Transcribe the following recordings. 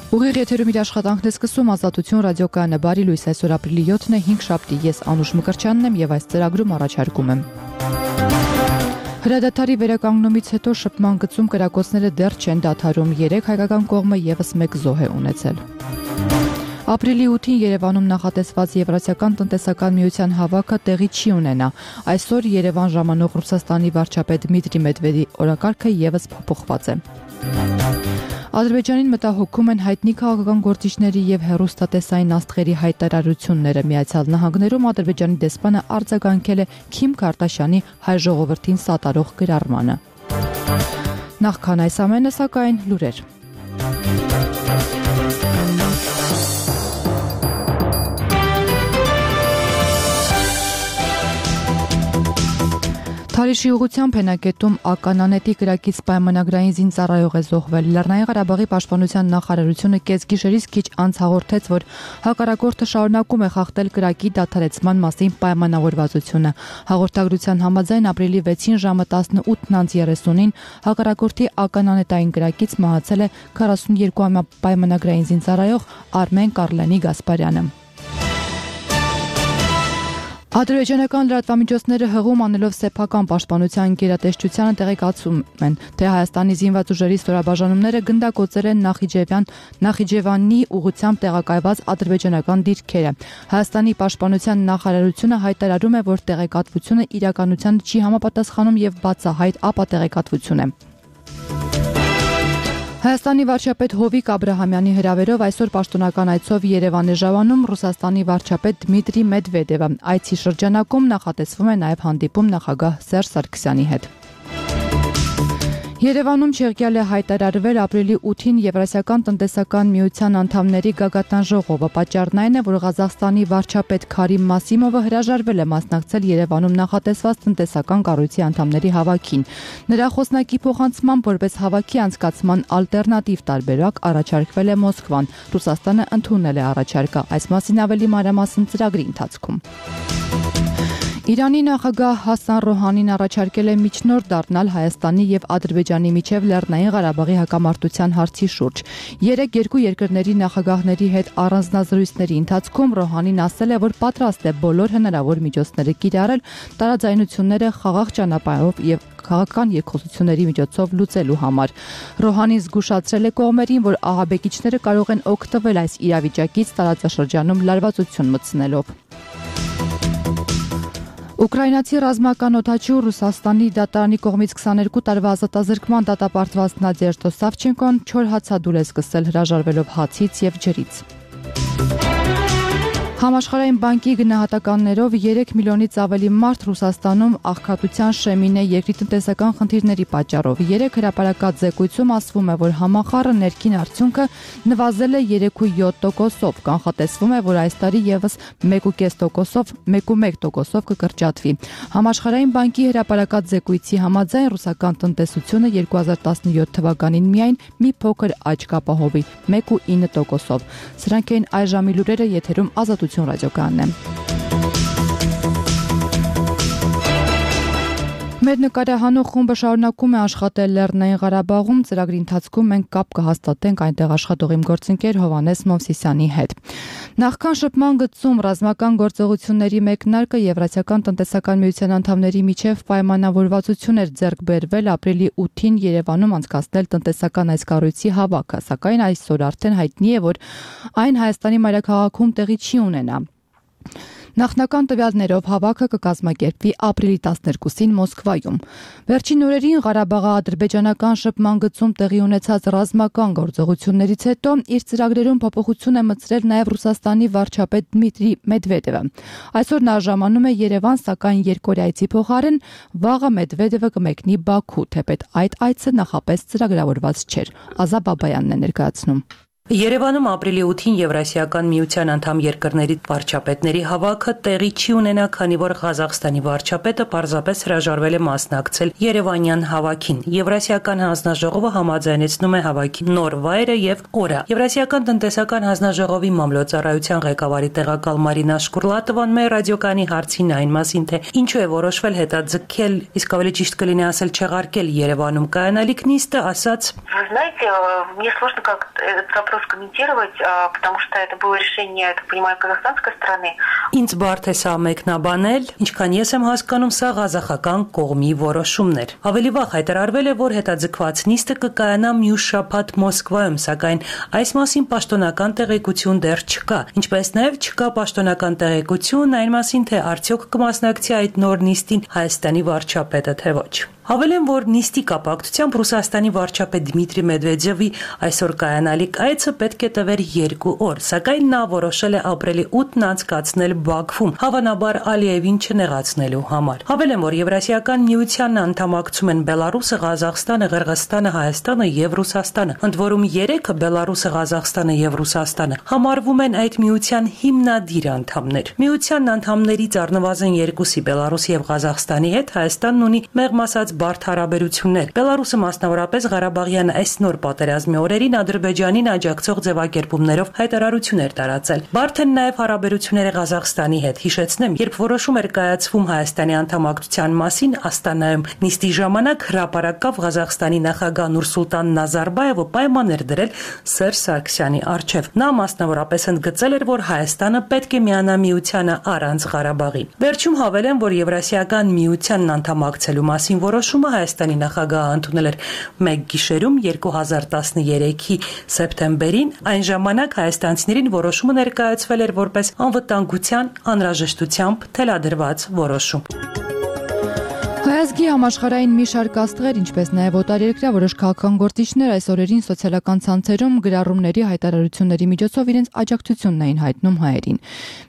Ուղիղ եթերում իր աշխատանքն է սկսում Ազատություն ռադիոկայանը բարի լույս այսօր ապրիլի 7-ն է 5 շաբթի ես Անուշ Մկրտչյանն եմ եւ այս ծրագրում առաջարկում եմ Հրադադարի վերականգնումից հետո շփման գծում կրակոցները դեռ չեն դադարում 3 հայկական կողմը եւս 1 զոհ է ունեցել Ապրիլի 8-ին Երևանում նախատեսված Եվրասիական տնտեսական միության հավաքը տեղի չի ունենա այսօր Երևան ժամանող Ռուսաստանի վարչապետ Դմիտրի Մեդվեդևի օրակարգը եւս փոփոխված է Ադրբեջանին մտահոգում են հայտնի քաղաքական գործիչների եւ հեռուստատեսային աստղերի հայտարարությունները Միացյալ Նահանգներում Ադրբեջանի դեսպանը արձագանքել է Քիմ Քարտաշյանի հայ ժողովրդին սատարող գրառմանը Նախքան այս ամենը սակայն լուրեր Թալիշի ուղղությամբ հենակետում ականանետի կրակից պայմանագրային զինծառայող է զոհվել։ Լեռնային Ղարաբաղի պաշտպանության նախարարությունը կեսգիշերից քիչ անց հաղորդեց, որ հակառակորդը շարունակում է խախտել կրակի դադարեցման մասին պայմանավորվածությունը։ Հաղորդագրության համաձայն ապրիլի 6-ին ժամը 18:30-ին հակառակորդի ականանետային կրակից մահացել է 42-ամյա պայմանագրային զինծառայող Արմեն Կառլենի Գասպարյանը։ Ադրբեջանական լրատվամիջոցները հղում անելով սեփական պաշտպանության գերատեսչությանը տեղեկացում են, թե Հայաստանի զինված ուժերի ստորաբաժանումները գնդակոծել են Նախիջևանի ուղղությամբ տեղակայված ադրբեջանական դիրքերը։ Հայաստանի պաշտպանության նախարարությունը հայտարարում է, որ տեղեկատվությունը իրականությանը չի համապատասխանում եւ բացահայտ ապատեղեկատվություն է։ Հայաստանի վարչապետ Հովիկ Աբրահամյանի հրավերով այսօր պաշտոնական այցով Երևան է ժամանում Ռուսաստանի վարչապետ Դմիտրի Մեդվեդևը։ Այցի շրջանակում նախատեսվում է նաև հանդիպում նախագահ Սերժ Սարգսյանի հետ։ Երևանում չեղյալ է հայտարարվել ապրիլի 8-ին Եվրասիական տնտեսական միության անդամների գագաթան ժողովը։ Պատճառն այն է, որ Ղազախստանի վարչապետ Քարիմ Մասիմովը հրաժարվել է մասնակցել Երևանում նախատեսված տնտեսական կառույցի անդամների հավաքին։ Նրա խոսնակի փոխանցմամբ որպես հավաքի անցկացման ալտերնատիվ տարբերակ առաջարկվել է Մոսկվան։ Ռուսաստանը ընդունել է առաջարկը։ Այս մասին ավելի մանրամասն ծրագրի ընթացքում։ Իրանի նախագահ Հասան Ռոհանին առաջարկել է միջնորդ դառնալ Հայաստանի եւ Ադրբեջանի միջև Լեռնային Ղարաբաղի հակամարտության հարցի շուրջ։ Երկու երկրների նախագահների հետ առանձնազրույցների ընթացքում Ռոհանին ասել է, որ պատրաստ է բոլոր հնարավոր միջոցները կիրառել տարաձայնությունները խաղաղ ճանապարհով եւ քաղաքական երկխոսությունների միջոցով լուծելու համար։ Ռոհանին զգուշացրել է կողմերին, որ ահաբեկիչները կարող են օգտվել այս իրավիճակից տարածաշրջանում լարվածություն մտցնելով։ Ուկրաինացի ռազմական օդաչու Ռուսաստանի դատարանի կողմից 22 տարվա ազատազրկման դատապարտված Նադեժդա Սավչենկոն չոր հացադուլ է սկսել հրաժարվելով հացից եւ ջրից։ Համաշխարհային բանկի գնահատականներով 3 միլիոնից ավելի մարդ Ռուսաստանում աղքատության շեմին է երկրի տնտեսական խնդիրների պատճառով։ 3 հրապարակած զեկույցում ասվում է, որ համախառն ներքին արդյունքը նվազել է 3.7%-ով, կանխատեսվում է, որ այս տարի եւս 1.5%-ով, 1.1%-ով կկրճատվի։ Համաշխարհային բանկի հրապարակած զեկույցի համաձայն ռուսական տնտեսությունը 2017 թվականին միայն մի փոքր աճ կապահովի 1.9%-ով։ Սրանք են այժմի լուրերը եթերում Ազատություն ռադիոկայանն է։ Մեր նկարահանող խումբը շարունակում է աշխատել Լեռնային Ղարաբաղում, ծրագրի ընթացքում մենք կապ կհաստատենք այնտեղ աշխատող իմ գործընկեր Հովհաննես Մովսիսյանի հետ։ Նախքան շփման գծում ռազմական գործողությունների մեկնարկը Եվրասիական տնտեսական միության անդամների միջև պայմանավորվածություն էր ձեռք բերվել ապրիլի 8-ին Երևանում անցկացնել տնտեսական այս կառույցի հավաքը, սակայն այսօր արդեն հայտնի է, որ այն Հայաստանի մայրաքաղաքում տեղի չի ունենա։ Նախնական տվյալներով հավաքը կկազմակերպվի ապրիլի 12-ին Մոսկվայում։ Վերջին օրերին Ղարաբաղի ադրբեջանական շփման գծում տեղի ունեցած ռազմական գործողություններից հետո իր ծրագրերում փոփոխություն է մտցրել նաև Ռուսաստանի վարչապետ Դմիտրի Մեդվեդևը։ Այսօր նա ժամանում է Երևան, սակայն երկօրյայցի փոխարեն վաղը Մեդվեդևը կմեկնի Բաքու, թեպետ այդ այցը նախապես ծրագրավորված չէր։ Ազա Բաբայանն է ներկայացնում։ Երևանում ապրիլի 8-ին Եվրասիական միության անդամ երկրների վարչապետների հավաքը տեղի չի ունենա, քանի որ Ղազախստանի վարչապետը պարզապես հրաժարվել է մասնակցել Երևանյան հավաքին։ Եվրասիական հանձնաժողովը համաձայնեցնում է հավաքի նոր վայրը եւ օրը։ Եվրասիական տնտեսական հանձնաժողովի մամլոյցարայության ղեկավարի տեղակալ Մարինա Շկուրլատովան մեր ռադիոկայանի հարցին այն մասին, թե ինչու է որոշվել հետաձգել, իսկ ավելի ճիշտ կլինի ասել չեղարկել Երևանում կայանալիք նիստը, ասաց. Вы знаете, мне сложно как этот вопрос готов комментировать, потому что это было решение, я так понимаю, казахстанской стороны. Ինձ բարդ է սա մեկնաբանել, ինչքան ես եմ հասկանում, սա ղազախական կողմի որոշումն էր։ Ավելի վաղ հայտարարվել է, որ հետաձգված նիստը կկայանա մյուս շաբաթ Մոսկվայում, սակայն այս մասին պաշտոնական տեղեկություն դեռ չկա։ Ինչպես նաև չկա պաշտոնական տեղեկություն այն մասին, թե արդյոք կմասնակցի այդ նոր նիստին Հայաստանի վարչապետը, թե ոչ։ Հավելեմ, որ նիստի կապակցությամբ Ռուսաստանի վարչապետ Դմիտրի Մեդվեդևի այսօր կայանալիք այցը պետք է տևեր 2 օր, սակայն նա որոշել է ապրիլի 8-ն անցկացնել Բաքվում, հավանաբար Ալիևին չնեղացնելու համար։ Հավելեմ, որ Եվրասիական միությանն անդամակցում են Բելարուսը, Ղազախստանը, Ղրղըզստանը, Հայաստանը եւ Ռուսաստանը, ընդ որում 3-ը Բելարուսը, Ղազախստանը եւ Ռուսաստանը համարվում են այդ միության հիմնադիր անդամներ։ Միությանն անդամներից առնվազն 2-ի Բելարուսի եւ Ղազախստանի հետ Հայաստանն ունի մեղմ ասած բարդ հարաբերություններ։ Բելարուսը մասնավորապես Ղարաբաղյան այս նոր պատերազմի օրերին Ադրբեջանին աջակցող ձևակերպումներով հայտարարություն էր տարածել։ Բարդ են նաև հարաբերությունները Ղազախստանի հետ։ Հիշեցնեմ, երբ որոշում էր կայացվում Հայաստանի անդամակցության մասին Աստանայում, նիստի ժամանակ հրապարակավ Ղազախստանի նախագահ Նուրսուլտան Նազարբայևը պայման էր դրել Սերժ Սարգսյանի առջև։ Նա մասնավորապես ընդգծել էր, որ Հայաստանը պետք է միանա միությանը առանց Ղարաբաղի։ Վերջում հավելեմ, որ Եվրասիական միությանն անդամակցելու մասին որոշումը Հայաստանի նախագահը ընդունել էր մեկ գիշերում 2013-ի սեպտեմբերին, այն ժամանակ հայաստանցիներին որոշումը ներկայացվել էր որպես անվտանգության անհրաժեշտությամբ թելադրված որոշում։ Հայազգի համաշխարհային մի շարք աստղեր, ինչպես նաև օտարերկրյա որոշ քաղաքական գործիչներ այս օրերին սոցիալական ցանցերում գրառումների հայտարարությունների միջոցով իրենց աջակցությունն էին հայտնում հայերին։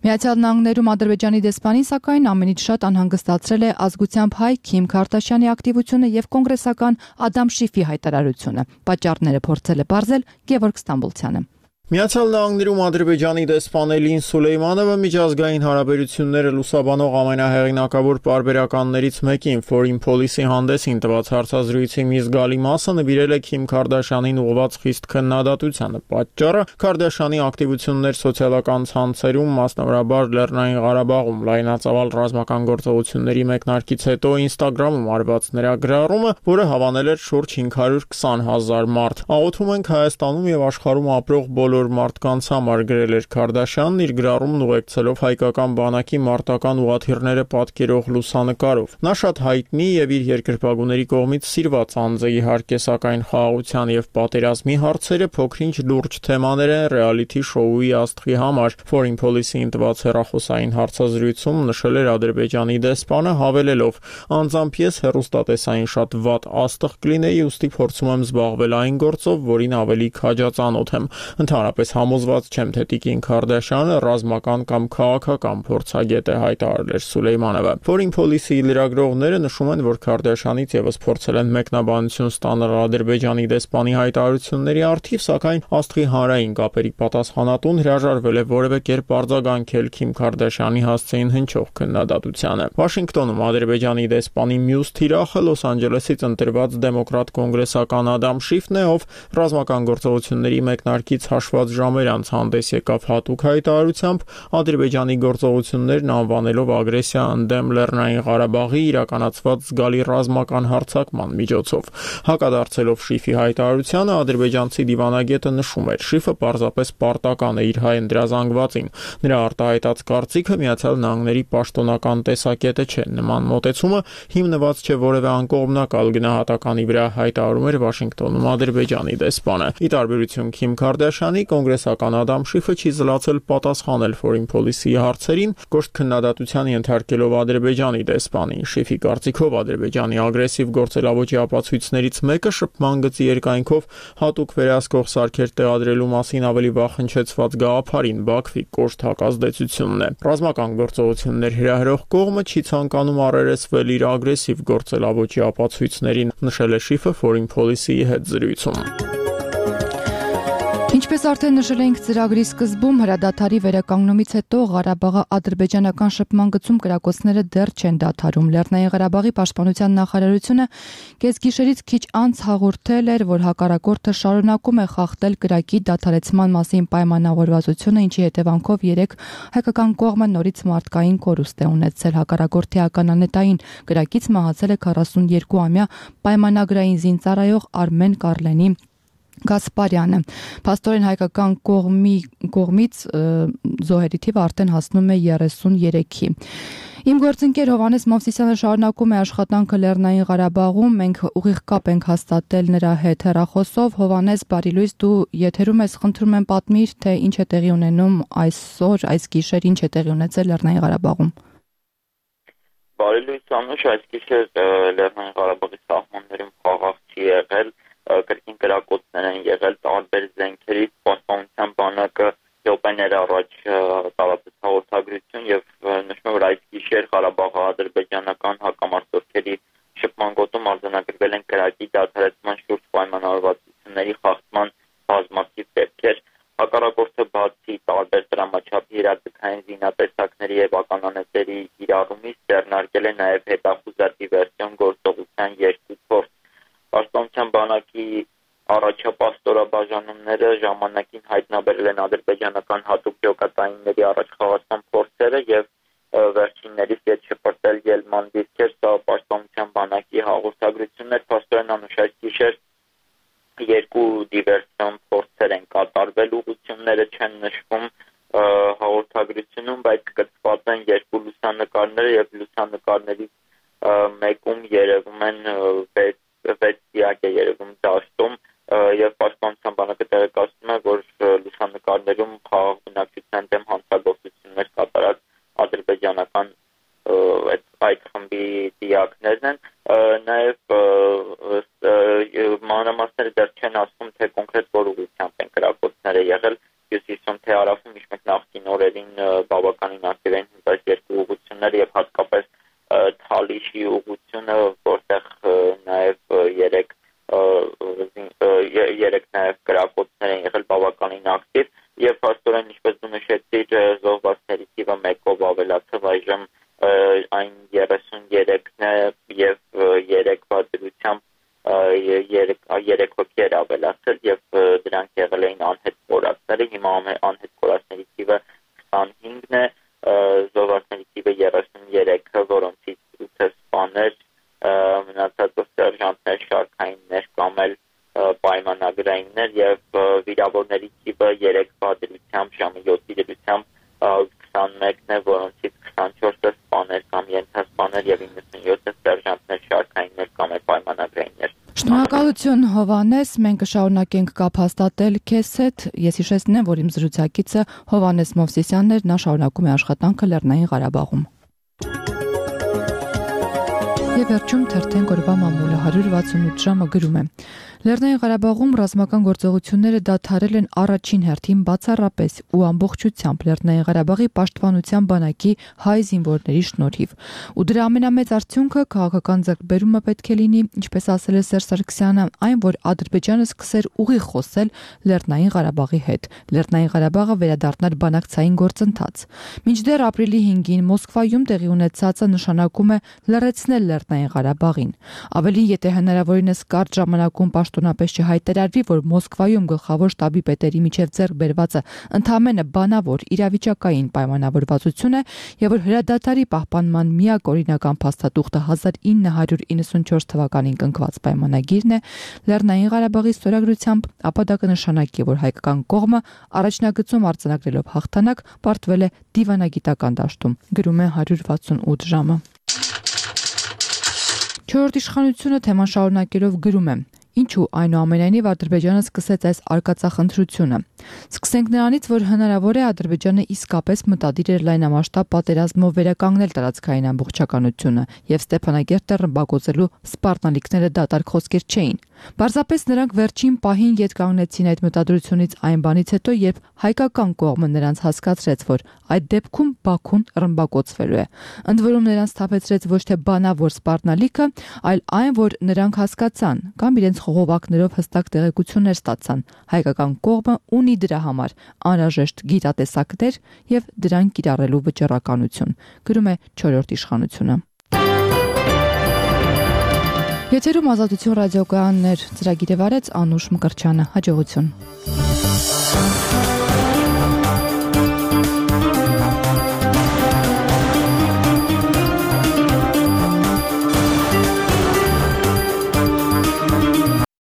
Միացյալ Նահանգներում Ադրբեջանի դեսպանին սակայն ամենից շատ անհանգստացրել է ազգությամբ հայ Քիմ Քարդաշյանի ակտիվությունը եւ կոնգրեսական Ադամ Շիֆի հայտարարությունը։ Պատճառները փորձել է բարձել Գևորգ Ստամբուլցյանը։ Միացյալ Նահանգներում Ադրբեջանի դեսպան Էլին Սուլեյմանովը միջազգային հարաբերությունները լուսաբանող ամենահեղինակավոր պարբերականներից մեկին Foreign Policy հանդեսին տված հարցազրույցի մի զգալի մասը նվիրել է Քիմ Քարդաշյանին ուղղված խիստ քննադատությանը։ Պատճառը Քարդաշյանի ակտիվություններ սոցիալական ցանցերում, մասնավորաբար Լեռնային Ղարաբաղում լայնածավալ ռազմական գործողությունների մեկնարկից հետո Instagram-ում արված նրա գրառումը, որը հավանել էր շուրջ 520,000 մարդ։ Աղոթում ենք Հայաստանում եւ աշխարհում ապրող բոլոր մարդկանց համար, գրել էր Քարդաշյանն իր գրառումն ուղեկցելով հայկական բանակի մարտական ուղաթիռները պատկերող լուսանկարով։ Նա շատ հայտնի եւ իր երկրպագուների կողմից սիրված անձ է, իհարկե, սակայն խաղաղության եւ պատերազմի հարցերը փոքրինչ լուրջ թեմաներ են ռեալիթի շոուի աստղի համար։ Foreign Policy-ին տված հեռախոսային հարցազրույցում նշել էր Ադրբեջանի դեսպանը, հավելելով. «Անձամբ ես հեռուստատեսային շատ վատ աստղ կլինեի, ուստի փորձում եմ զբաղվել այն գործով, որին ավելի քաջածանոթ եմ։ Ընդհանրապես համոզված չեմ, թե Տիկին Քարդաշյանը ռազմական կամ քաղաքական փորձագետ է», հայտարարել էր Սուլեյմանովը։ Foreign Policy-ի լրագրողները նշում են, որ Քարդաշյանից եւս փորձել են մեկնաբանություն ստանալ Ադրբեջանի դեսպանի հայտարարությունների առթիվ, սակայն աստղի հանրային կապերի պատասխանատուն հրաժարվել է որևէ կերպ արձագանքել Քիմ Քարդաշյանի հասցեին հնչող քննադատությանը։ Վաշինգտոնում Ադրբեջանի դեսպանի մյուս թիրախը Լոս Անջելեսից ընտրված դեմոկրատ կոնգրեսական Ադամ Շիֆն է, ով ռազմական գործողությունների մեկնարկից հաշված ժամեր անց հանդես եկավ հատուկ հայտարարությամբ Ադրբեջանի գործողություններն անվանելով ագրեսիա ընդդեմ Լեռնային Ղարաբաղի իրականացված զգալի ռազմական հարձակման միջոցով։ Հակադարձելով Շիֆի հայտարարությանը ադրբեջանցի դիվանագետը նշում էր. Շիֆը պարզապես պարտական է իր հայ ընդրազանգվածին։ Նրա արտահայտած կարծիքը Միացյալ Նահանգների պաշտոնական տեսակետը չէ։ Նման մոտեցումը հիմնված չէ որևէ անկողմնակալ գնահատականի վրա, հայտարարում էր Վաշինգտոնում Ադրբեջանի դեսպանը։ Ի տարբերություն Քիմ Քարդաշյանի, կոնգրեսական Ադամ Շիֆը չի զլացել պատասխանել Foreign Policy-ի հարցերին, կոշտ քննադատության ենթարկելով Ադրբեջանի դեսպանին։ Շիֆի կարծիքով Ադրբեջանի ագրեսիվ գործելավոճի ապացույցներից մեկը շփման գծի երկայնքով հատուկ վերահսկող սարքեր տեղադրելու մասին ավելի վաղ հնչեցված գաղափարին Բաքվի կոշտ հակազդեցությունն է։ Ռազմական գործողություններ հրահրող կողմը չի ցանկանում առերեսվել իր ագրեսիվ գործելավոճի ապացույցներին, նշել է Շիֆը Foreign Policy-ի հետ զրույցում։ Ինչպես արդեն նշել էինք ծրագրի սկզբում, հրադադարի վերականգնումից հետո Ղարաբաղի ադրբեջանական շփման գծում կրակոցները դեռ չեն դադարում։ Լեռնային Ղարաբաղի պաշտպանության նախարարությունը կեսգիշերից քիչ անց հաղորդել էր, որ հակառակորդը շարունակում է խախտել կրակի դադարեցման մասին պայմանավորվածությունը, ինչի հետևանքով 3 հայկական կողմը նորից մարդկային կորուստ է ունեցել։ Հակառակորդի ականանետային կրակից մահացել է 42-ամյա պայմանագրային զինծառայող Արմեն Կարլենի Գասպարյանը։ Փաստորեն հայկական կողմից զոհերի թիվը արդեն հասնում է 33-ի։ Իմ գործընկեր Հովհաննես Մովսիսյանը շարունակում է աշխատանքը Լեռնային Ղարաբաղում, մենք ուղիղ կապ ենք հաստատել նրա հետ հեռախոսով։ Հովհաննես, բարի լույս, դու եթերում ես, խնդրում եմ պատմիր, թե ինչ է տեղի ունենում այսօր, այս գիշեր, ինչ է տեղի ունեցել Լեռնային Ղարաբաղում։ Բարի լույս, Անուշ, այս գիշեր Լեռնային Ղարաբաղի սահմաններում խաղաղ չի եղել, կրկին կրակոցներ են եղել տարբեր զենքերից, պաշտպանության բանակը րոպեներ առաջ տարածեց հաղորդագրություն եւ նշում է, որ այս գիշեր Ղարաբաղի ադրբեջանական հակամարտությունների շփման գոտում արձանագրվել են կրակի դադարեցման շուրջ պայմանավորվածությունների խախտման բազմաթիվ դեպքեր։ Հակառակորդը բացի տարբեր դրամաչափի իրատեսային զինատեսակների եւ ականանետերի իրարումից ձեռնարկել է նաեւ հետախուզա դիվերսիոն գործողության 2 փորձ։ Պաշտպանության բանակի առաջապաստորաբաժանումները ժամանակին հայտնաբերել են ադրբեջանական հատուկ ջոկատայինների առաջխաղացման փորձերը եւ վերջիններից հետ շփրտել ելման դիրքեր, սա պաշտպանության բանակի հաղորդագրություններ, փաստորեն Անուշ այս գիշեր 2 դիվերսիոն փորձեր են կատարվել, ուղղությունները չեն նշվում հաղորդագրությունում, բայց կցված են 2 լուսանկարները եւ լուսանկարներից մեկում երևում են 6 դիակ է երևում դաշտում եւ պաշտպանության բանակը տեղեկացնում է, որ լուսանկարներում խաղաղ բնակչության դեմ հանցագործություններ կատարած ադրբեջանական այդ խմբի դիակներն են, նաեւ մանրամասները դեռ չեն ասում, թե կոնկրետ որ ուղղությամբ են կրակոցները եղել, հյուսիսում թե հարավում, ինչ-որ նախկին օրերին բավականին ակտիվ են այս 2 ուղղությունները եւ հատկապես Թալիշի ուղղությունը, որտեղ նաեւ 3 նաեւ կրակոցներ են եղել բավականին ակտիվ եւ փաստորեն ինչպես դու նշեցիր զոհվածների թիվը 1-ով ավելացավ այժմ այն 33-ն է եւ 3 դրությամբ 3 հոգի ավելացել եւ դրանք եղել էին անհետ կորածները, հիմա անհետ կորածների թիվը 25-ն է, զոհվածների թիվը 33, որոնցից 8 սպաներ, մնացածը սերժանտներ, շարքայիններ կամ էլ պայմանագրայիններ եւ վիրավորների թիվը 3 դրությամբ ժամը 7-ի դրությամբ 21-ն է, որոնցից 24-ը սպաներ կամ ենթասպաներ եւ 97-ը սերժանտներ, շարքայիններ կամ էլ պայմանագրայիններ։ Շնորհակալություն Հովհաննես, մենք կշարունակենք կապ հաստատել քեզ հետ։ Ես հիշեցնեմ, որ իմ զրուցակիցը Հովհաննես Մովսիսյանն էր, նա շարունակում է աշխատանքը Լեռնային Ղարաբաղում։ Եվ վերջում թերթենք օրվա մամուլը 168 ժամը գրում է. Լեռնային Ղարաբաղում ռազմական գործողությունները դադարել են առաջին հերթին բացառապես ու ամբողջությամբ Լեռնային Ղարաբաղի պաշտպանության բանակի հայ զինվորների շնորհիվ։ Ու դրա ամենամեծ արդյունքը քաղաքական ձեռքբերումը պետք է լինի, ինչպես ասել է Սերժ Սարգսյանը, այն, որ Ադրբեջանը սկսեր ուղիղ խոսել Լեռնային Ղարաբաղի հետ։ Լեռնային Ղարաբաղը վերադառնար բանակցային գործընթաց։ Մինչդեռ ապրիլի 5-ին Մոսկվայում տեղի ունեցածը նշանակում է լռեցնել Լեռնային Ղարաբաղին։ Ավելին, եթե հնարավորինս կարճ ժամանակում պաշտոնապես չհայտարարվի, որ Մոսկվայում գլխավոր շտաբի պետերի միջև ձեռք բերվածը ընդամենը բանավոր իրավիճակային պայմանավորվածություն է եւ որ հրադադարի պահպանման միակ օրինական փաստաթուղթը 1994 թվականին կնքված պայմանագիրն է, Լեռնային Ղարաբաղի ստորագրությամբ, ապա դա կնշանակի, որ հայկական կողմը առաջնագծում արձանագրելով հաղթանակ պարտվել է դիվանագիտական դաշտում, գրում է 168 ժամը։ Չորրորդ իշխանությունը թեման շարունակելով գրում է. Ինչու այնուամենայնիվ Ադրբեջանը սկսեց այս արկածախնդրությունը։ Սկսենք նրանից, որ հնարավոր է Ադրբեջանը իսկապես մտադիր էր լայնամասշտաբ պատերազմով վերականգնել տարածքային ամբողջականությունը եւ Ստեփանագերտը ռմբակոծելու սպառնալիքները դատարկ խոսքեր չէին։ Պարզապես նրանք վերջին պահին ետ կանգնեցին այդ մտադրությունից այն բանից հետո, երբ հայկական կողմը նրանց հասկացրեց, որ այդ դեպքում Բաքուն ռմբակոծվելու է։ Ընդ որում նրանց թափեցրեց ոչ թե բանավոր սպառնալիքը, այլ այն, որ նրանք հասկացան կամ իրենց խողովակներով հստակ տեղեկություններ ստացան։ Հայկական կողմը ունի դրա համար անհրաժեշտ գիտատեսակներ եւ դրանք կիրառելու վճռականություն, գրում է 4-րդ իշխանությունը։ Եթերում Ազատություն ռադիոկայաններ, ծրագիրը վարեց Անուշ Մկրտչյանը, հաջողություն։